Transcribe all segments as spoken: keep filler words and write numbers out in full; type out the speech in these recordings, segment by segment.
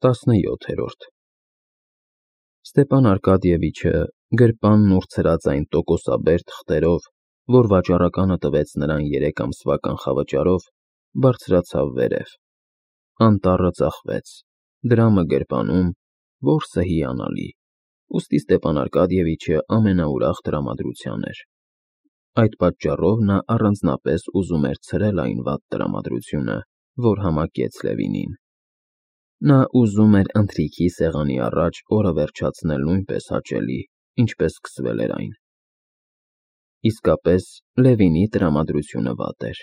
տասնյոթերորդ Ստեպան Արկադիևիչը գրպանն ու ցրածային տոկոսաբեր թղթերով, որ վաճառականը տվեց նրան երեք ամսվա կանխավճարով, բարձրացավ վերև, անտառը ծախվեց, դրամը գրպանում, որսը հիանալի, ուստի Ստեպան Արկադիևիչը ամենաուրախ տրամադրության էր, այդ պատճառով նա առանձնապես ուզում էր ցրել այն վատ տրամադրությունը, որ համակեց Լևինին, նա ուզում էր ընթրիքի սեղանի առաջ օրը վերջացնել նույնպես հաճելի, ինչպես սկսվել էր այն, իսկապես Լևինի տրամադրությունը վատ էր,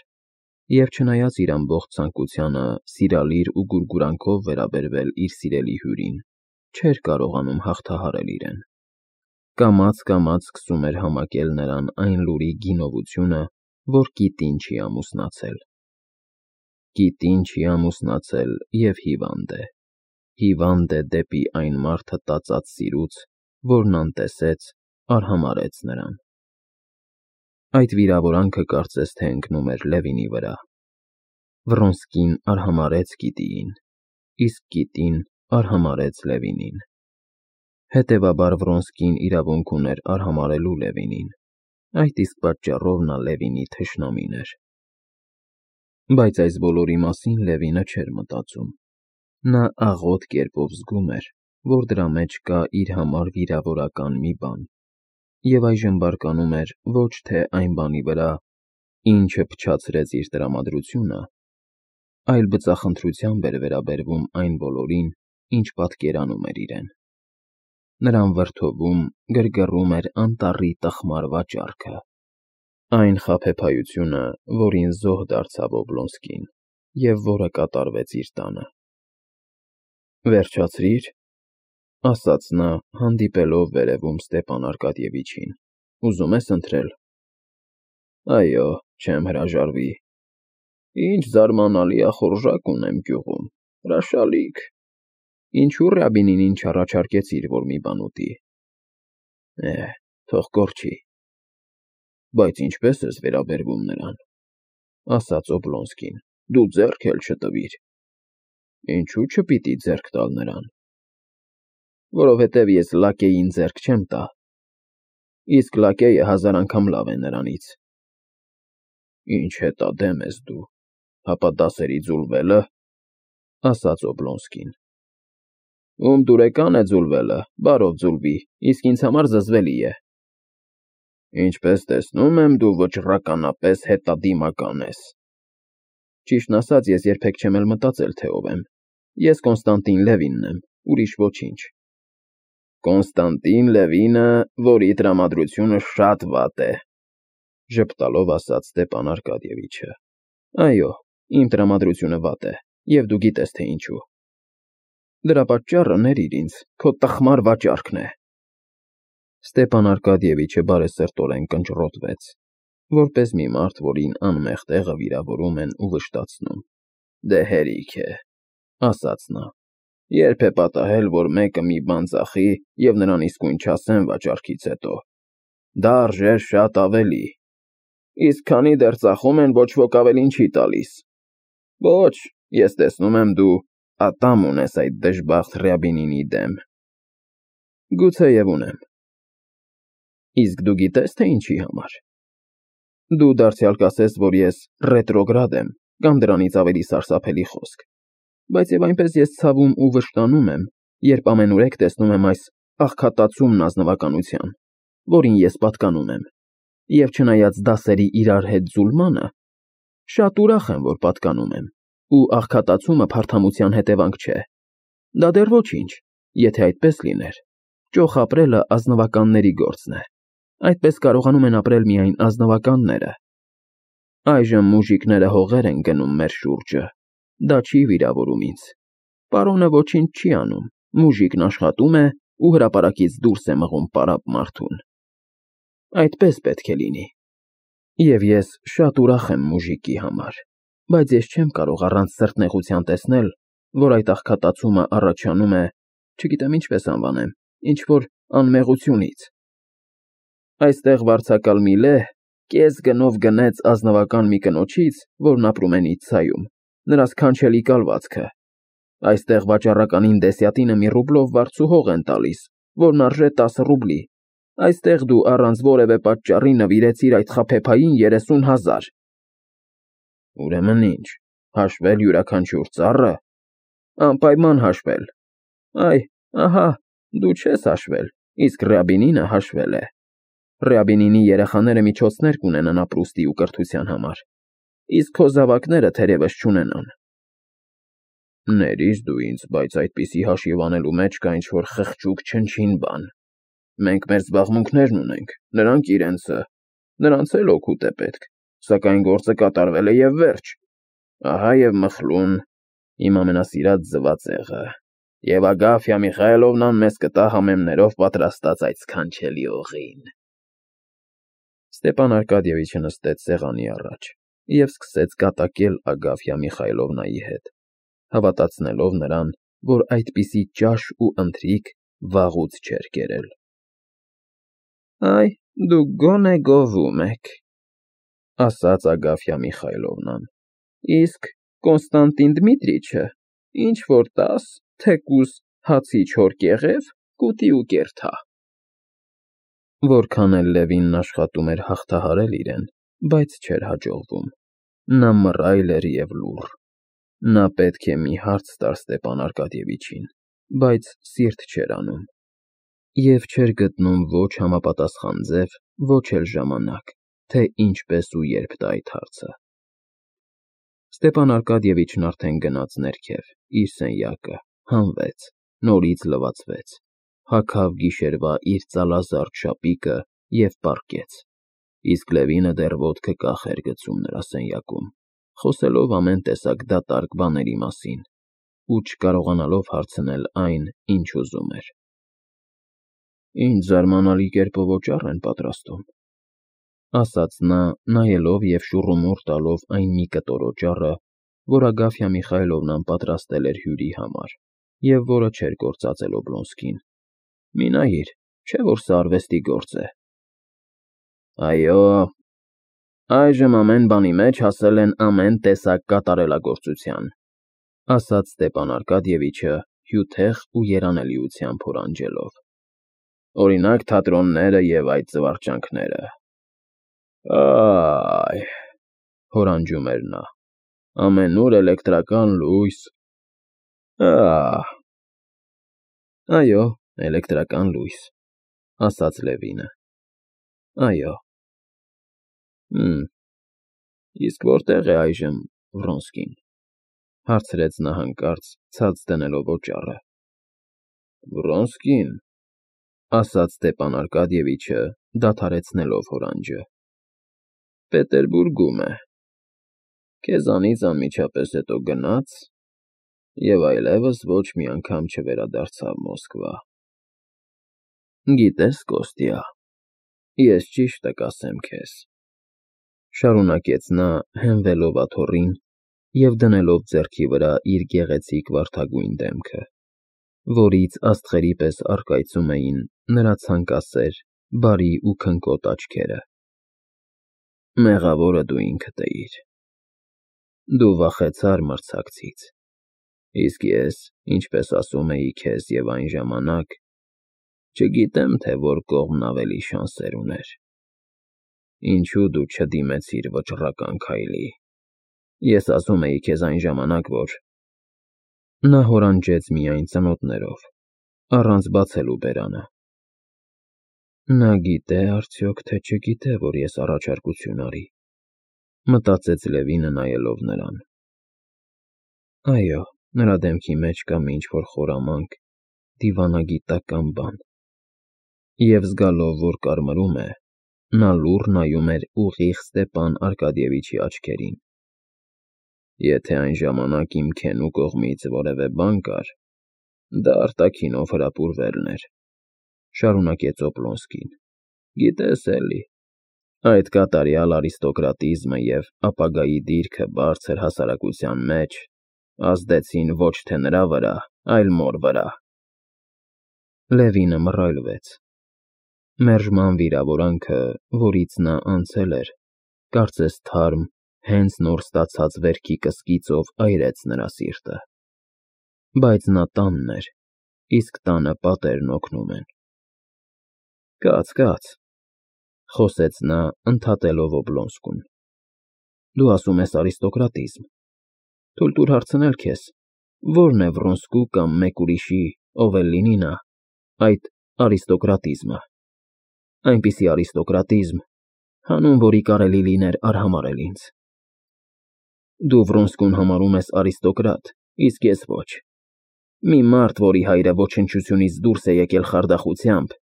և չնայած իր ամբողջ ցանկությանը սիրալիր ու գուրգուրանքով վերաբերվել իր սիրելի հյուրին, չէր կարողանում հաղթահարել իրեն, կամաց-կամաց սկսում էր համակել նրան այն լուրի գինովությունը, որ կիտին չի ամուսնացել, կիտին չի ամուսնացել և հիվանդ է, հիվանդ է դեպի այն մարդը տածած սիրուց, որն անտեսեց, արհամարհեց նրան, այդ վիրավորանքը կարծես թե ընկնում էր Լևինի վրա, Վռոնսկին արհամարհեց կիտիին, իսկ կիտին արհամարհեց Լևինին, հետևաբար Վռոնսկին իրավունք ուներ արհամարհելու Լևինին, այդ իսկ պատճառով նա Լևինի թշնամին էր, բայց այս բոլորի մասին Լևինը չէր մտածում, նա աղոտ կերպով զգում էր, որ դրա մեջ կա իր համար վիրավորական մի բան, և այժմ բարկանում էր ոչ թե այն բանի վրա, ինչը փչացրեց իր տրամադրությունը, այլ բծախնդրությամբ էր վերաբերվում այն բոլորին, ինչ պատկերանում էր իրեն, նրան վրդովում, գրգռում էր անտառի տխմար վաճառքը, այն խաբեբայությունը, որին զոհ դարձավ Օբլոնսկին և որը կատարվեց իր տանը, վերջացրի՞ր, ասաց նա, հանդիպելով վերևում Ստեպան Արկադիևիչին, ուզում ես ընթրել, այո, չեմ հրաժարվի, ինչ զարմանալի ախորժակ ունեմ գյուղում, հրաշալիք, ինչու Ռյաբինին ինձ չառաջարկեցիր, որ մի բան ուտի, է, թող կորչի, բայց ինչպես ես վերաբերվում նրան, ասաց Օբլոնսկին, դու ձեռք էլ չտվիր, ինչու չպիտի ձեռք տալ նրան, որովհետև ես լակեյին ձեռք չեմ տա, իսկ լակեյը հազար անգամ լավ է նրանից, ինչ հետադեմ ես դու, հապա դասերի ձուլվելը, ասաց Օբլոնսկին, ում դուրեկան է ձուլվելը, բարով ձուլվի, իսկ ինձ համար զզվելի է, ինչպես տեսնում եմ, դու վճռականապես հետադիմական ես, ճիշտն ասած, ես երբեք չեմ էլ մտածել, թե ով եմ, ես Կոնստանտին Լևինն եմ, ուրիշ ոչինչ, Կոնստանտին Լևինը, որի տրամադրությունը շատ վատ է, ժպտալով ասաց Ստեպան Արկադիևիչը, այո, իմ տրամադրությունը վատ է, և դու գիտես, թե ինչու, դրա պատճառը ներիր ինձ, քո տխմար վաճառքն է, Ստեպան Արկադիևիչը բարեսրտորեն կնճռոտվեց, որպես մի մարդ, որին անմեղ տեղը վիրավորում են ու վշտացնում, դե հերիք է, ասաց նա, երբ է պատահել, որ մեկը մի բան ծախի և նրան իսկույն չասեն վաճառքից հետո, դա արժեր շատ ավելի, իսկ քանի դեռ ծախում են, ոչ ոք ավելին չի տալիս, ոչ, ես տեսնում եմ դու ատամ ունես այդ դժբախտ Ռյաբինինի դեմ, գուցեև ունեմ, իսկ դու գիտես, թե ինչի համար, դու դարձյալ կասես, որ ես ռետրոգրադ եմ, կամ դրանից ավելի սարսափելի խոսք, բայց և այնպես ես ցավում ու վշտանում եմ, երբ ամենուրեք տեսնում եմ այս աղքատացումն ազնվականության, որին ես պատկանում եմ, և չնայած դասերի իրար հետ ձուլմանը, շատ ուրախ եմ, որ պատկանում եմ, ու աղքատացումը փարթամության հետևանք չէ, դա դեռ ոչինչ, եթե այդպես լիներ, ճոխ ապրելը ազնվականների գործն է, այդպես կարողանում են ապրել միայն ազնվականները, այժմ մուժիկները հողեր են գնում մեր շուրջը, դա չի վիրավորում ինձ, պարոնը ոչինչ չի անում, մուժիկն աշխատում է ու հրապարակից դուրս է մղում պարապ մարդուն, այդպես պետք է լինի, և ես շատ ուրախ եմ մուժիկի համար, բայց ես չեմ կարող առանց սրտնեղության տեսնել, որ այդ աղքատացումը առաջանում է, չգիտեմ ինչպես անվանեմ, ինչ-որ անմեղությունից, այստեղ վարձակալ մի լեհ կես գնով գնեց ազնվական մի կնոջից, որն ապրում է Նիցցայում, նրա սքանչելի կալվածքը, Այստեղ վաճառականին դեսյատինը մի ռուբլով վարձուհող են տալիս, որն արժե տասը ռուբլի։ Այստեղ դու առանց որևէ պատճառի նվիրեցիր այդ խաբեբային երեսուն հազար։ Ուրեմն ինչ, հաշվել յուրաքանչյուր ծառը։ Անպայման հաշվել։ Այ, ահա, դու չես հաշվել, իսկ Ռյաբինինը հաշվել է։ Ռյաբինինի երեխաները միջոցներ կունենան ապրուստի ու կրթության համար, իսկ քո զավակները թերևս չունենան։ Ներիր դու ինձ, բայց այդպիսի հաշիվ անելու մեջ կա ինչ-որ խղճուկ չնչին բան։ Մենք մեր զբաղմունքներն ունենք, նրանք իրենցը, նրանց էլ օգուտ է պետք, սակայն գործը կատարվել է և վերջ։ Ահա և մխլուն, իմ ամենասիրած ձվածեղը, և Ագաֆյա Միխայելովնան մեզ կտա համեմներով պատրաստած այդ սքանչելի օղին։ Ստեպան Արկադիևիչը նստեց սեղանի առաջ և սկսեց կատակել Ագաֆյա Միխայելովնայի հետ, հավատացնելով նրան, որ այդպիսի ճաշ ու ընթրիք վաղուց չէր կերել։ Այ, դուք գոնե գովում եք, ասաց Ագաֆյա Միխայելովնան, իսկ Կոնստանտին Դմիտրիչը ինչ-որ տաս, թեկուզ հացի չոր կեղև, կուտի ու կերթա։ Որքան էլ Լևինն աշխատում էր հաղթահարել իրեն, բայց չէր հաջողվում։ Նա մռայլ էր և լուռ։ Նա պետք է մի հարց տար Ստեպան Արկադիևիչին, բայց սիրտ չէր անում, և չէր գտնում ոչ համապատասխան ձև, ոչ էլ ժամանակ, թե ինչպես ու երբ տա այդ հարցը։ Ստեպան Արկադիևիչն արդեն գնաց ներքև, իր սենյակը, հանվեց, նորից լվացվեց, հագավ գիշերվա իր ծալազարդ շապիկը և պառկեց, իսկ Լևինը դեռ ոտքը կախ էր գցում նրա սենյակում, խոսելով ամեն տեսակ դատարկ բաների մասին ու չկարողանալով հարցնել այն, ինչ ուզում էր։ Ինչ զարմանալի կերպով օճառ են պատրաստում, ասաց նա, նայելով և շուռումուռ տալով այն մի կտոր օճառը, որ Ագաֆյա Միխայելովնան պատրաստել էր հյուրի համար և որը չէր կործածել Օբլոնսկին։ Մի նայիր, չէ՞ որ սա արվեստի գործ է։ Այո, այժմ ամեն բանի մեջ հասել են ամեն տեսակ կատարելագործության, ասաց Ստեպան Արկադիևիչը հյութեղ ու երանելիությամբ հորանջելով։ Օրինակ, թատրոնները և այդ զվարճանքները։ Այ, հորանջում էր նա, ամենուր էլեկտրական լույս։ Ահ։ Այո, էլեկտրական լույս, ասաց Լևինը։ Այո։ Հըմ, իսկ որտե՞ղ է այժմ Վրոնսկին, հարցրեց նա հանկարծ, ցած դնելով օճառը։ Վրոնսկի՞ն, ասաց Ստեպան Արկադիևիչը, դադարեցնելով հորանջը։ Պետերբուրգում է։ Քեզանից անմիջապես հետո գնաց և այլևս ոչ մի անգամ չվերադարձավ Մոսկվա։ Գիտես, Կոստյա, ես ճիշտը կասեմ քեզ, շարունակեց նա, հենվելով աթոռին և դնելով ձեռքի վրա իր գեղեցիկ վարդագույն դեմքը, որից աստղերի պես առկայծում էին նրա ցանկասեր, բարի ու քնկոտ աչքերը։ Մեղավորը դու ինքդ էիր։ Դու վախեցար մրցակցից, իսկ ես, ինչպես ասում էի քեզ և այն ժամանակ, չգիտեմ, թե որ կողմն ավելի շանսեր ուներ։ Ինչու դու չդիմեցիր վճռական քայլի։ Ես ասում էի քեզ այն ժամանակ, որ… Նա հորանջեց միայն ծնոտներով, առանց բացելու բերանը։ Նա գիտե՞ արդյոք, թե չգիտե, որ ես առաջարկություն արի, մտածեց Լևինը, նայելով նրան։ Այո, նրա դեմքի մեջ կա ինչ֊որ խորամանկ, դիվանագիտական բան, և զգալով, որ կարմրում է, նա լուռ նայում էր ուղիղ Ստեպան Արկադիևիչի աչքերին։ Եթե այն ժամանակ իմ քենու կողմից որևէ բան կար, դա արտաքինով հրապուրվելն էր, շարունակեց Օբլոնսկին։ Գիտես էլի, այդ կատարյալ արիստոկրատիզմը և ապագայի դիրքը բարձր հասարակության մեջ ազդեցին ոչ թե նրա վրա, այլ մոր վրա։ Լևինը մռայլվեց։ Մերժման վիրավորանքը, որից նա անցել էր, կարծես թարմ, հենց նոր ստացած վերքի կսկիծով այրեց նրա սիրտը։ Բայց նա տանն էր, իսկ տանը պատերն օգնում են։ Կաց, կաց, խոսեց նա, ընդհատելով Օբլոնսկուն։ Դու ասում ես արիստոկրատիզմ։ Թույլ տուր հարցնել քեզ, ո՞րն է Վրոնսկու կամ մեկ ուրիշի, ով էլ լինի նա, այդ արիստոկրատիզմը։ Այնպիսի արիստոկրատիզմ, հանուն որի կարելի լիներ արհամարհել ինձ։ Դու Վրոնսկուն համարում ես արիստոկրատ, իսկ ես ոչ։ Մի մարդ, որի հայրը ոչնչությունից դուրս է եկել խարդախությամբ,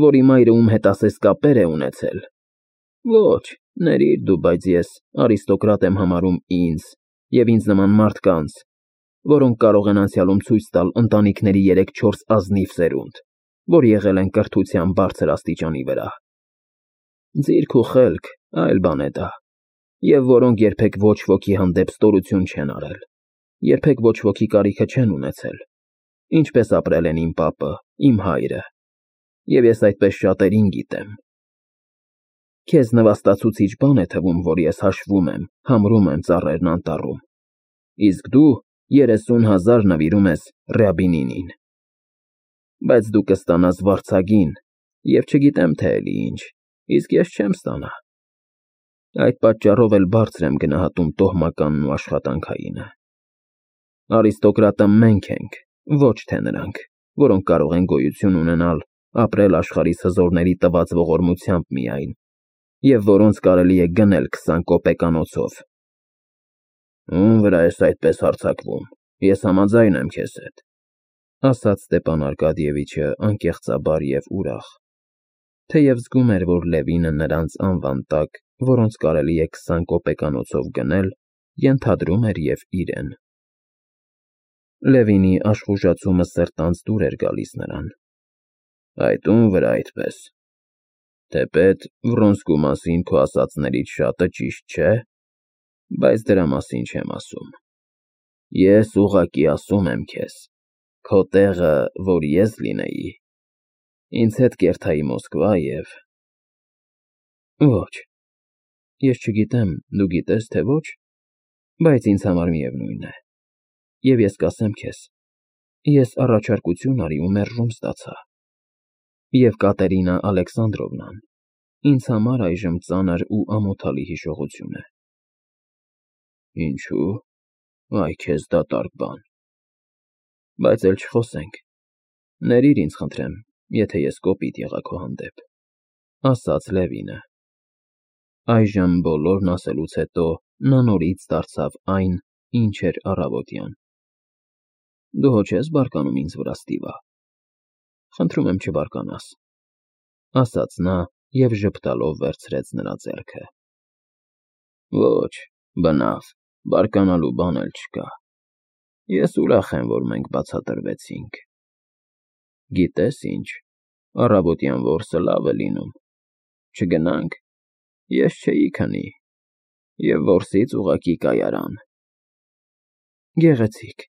որի մայրը ում հետ ասես կապեր է ունեցել։ Ոչ, ներիր դու, բայց ես արիստոկրատ եմ համարում ինձ և ինձ նման մարդկանց, որոնք կարող են անցյալում ցույց տալ ընտանիքների երեք֊չորս ազնիվ սերունդ, որ եղել են կրթության բարձր աստիճանի վրա։ Ձիրք ու խելք այլ բան է դա, և որոնք երբեք ոչ ոքի հանդեպ ստորություն չեն արել, երբեք ոչ ոքի կարիքը չեն ունեցել, ինչպես ապրել են իմ պապը, իմ հայրը, և ես այդպես շատերին գիտեմ։ Քեզ նվաստացուցիչ բան է թվում, որ ես հաշվում եմ, համրում եմ ծառերն անտառում, իսկ դու երեսուն հազար նվիրում ես Ռյաբինինին։ Բայց դու կստանաս վարձագին և չգիտեմ թե էլի ինչ, իսկ ես չեմ ստանա։ Այդ պատճառով էլ բարձր եմ գնահատում տոհմականն ու աշխատանքայինը։ Արիստոկրատը մենք ենք, ոչ թե նրանք, որոնք կարող են գոյություն ունենալ, ապրել աշխարհիս հզորների տված ողորմությամբ միայն, և որոնց կարելի է գնել քսան կոպեկանոցով։ Ո՞ւմ վրա ես այդպես հարձակվում, ես համաձայն եմ քեզ հետ, ասաց Ստեպան Արկադիևիչը անկեղծաբար և ուրախ, թեև զգում էր, որ Լևինը նրանց անվան տակ, որոնց կարելի է քսան կոպեկանոցով գնել, ենթադրում էր և իրեն։ Լևինի աշխուժացումը սրտանց դուր էր գալիս նրան։ Այդ ո՞ւմ վրա այդպես։ Թեպետ Վրոնսկու մասին քո ասածներից շատը ճիշտ չէ, բայց դրա մասին չեմ ասում։ Ես ուղղակի ասում եմ քեզ, քո տեղը, որ ես լինեի, ինձ հետ կերթայի Մոսկվա և… Ոչ, ես չգիտեմ, դու գիտես, թե ոչ, բայց ինձ համար միևնույն է, և ես կասեմ քեզ, ես առաջարկություն արի ու մերժում ստացա, և Կատերինա Ալեքսանդրովնան ինձ համար այժմ ծանր ու ամոթալի հիշողություն է։ Ինչո՞ւ, այ քեզ դատարկ բան։ Բայց էլ չխոսենք, ներիր ինձ, խնդրեմ, եթե ես կոպիտ եղա քո հանդեպ, ասաց Լևինը։ Այժմ բոլորն ասելուց հետո նա նորից դարձավ այն, ինչ էր առավոտյան։ Դու հո չես բարկանում ինձ վրա, Ստիվա։ Խնդրում եմ չբարկանաս, ասաց նա և ժպտալով վերցրեց նրա ձեռքը։ Ոչ, բնավ, բարկանալու բան էլ չկա։ Ես ուրախ եմ, որ մենք բացատրվեցինք։ Գիտես ինչ, առավոտյան որսը լավ է լինում։ Չգնա՞նք, ես չէի քնի, և որսից ուղղակի կայարան։ Գեղեցիկ,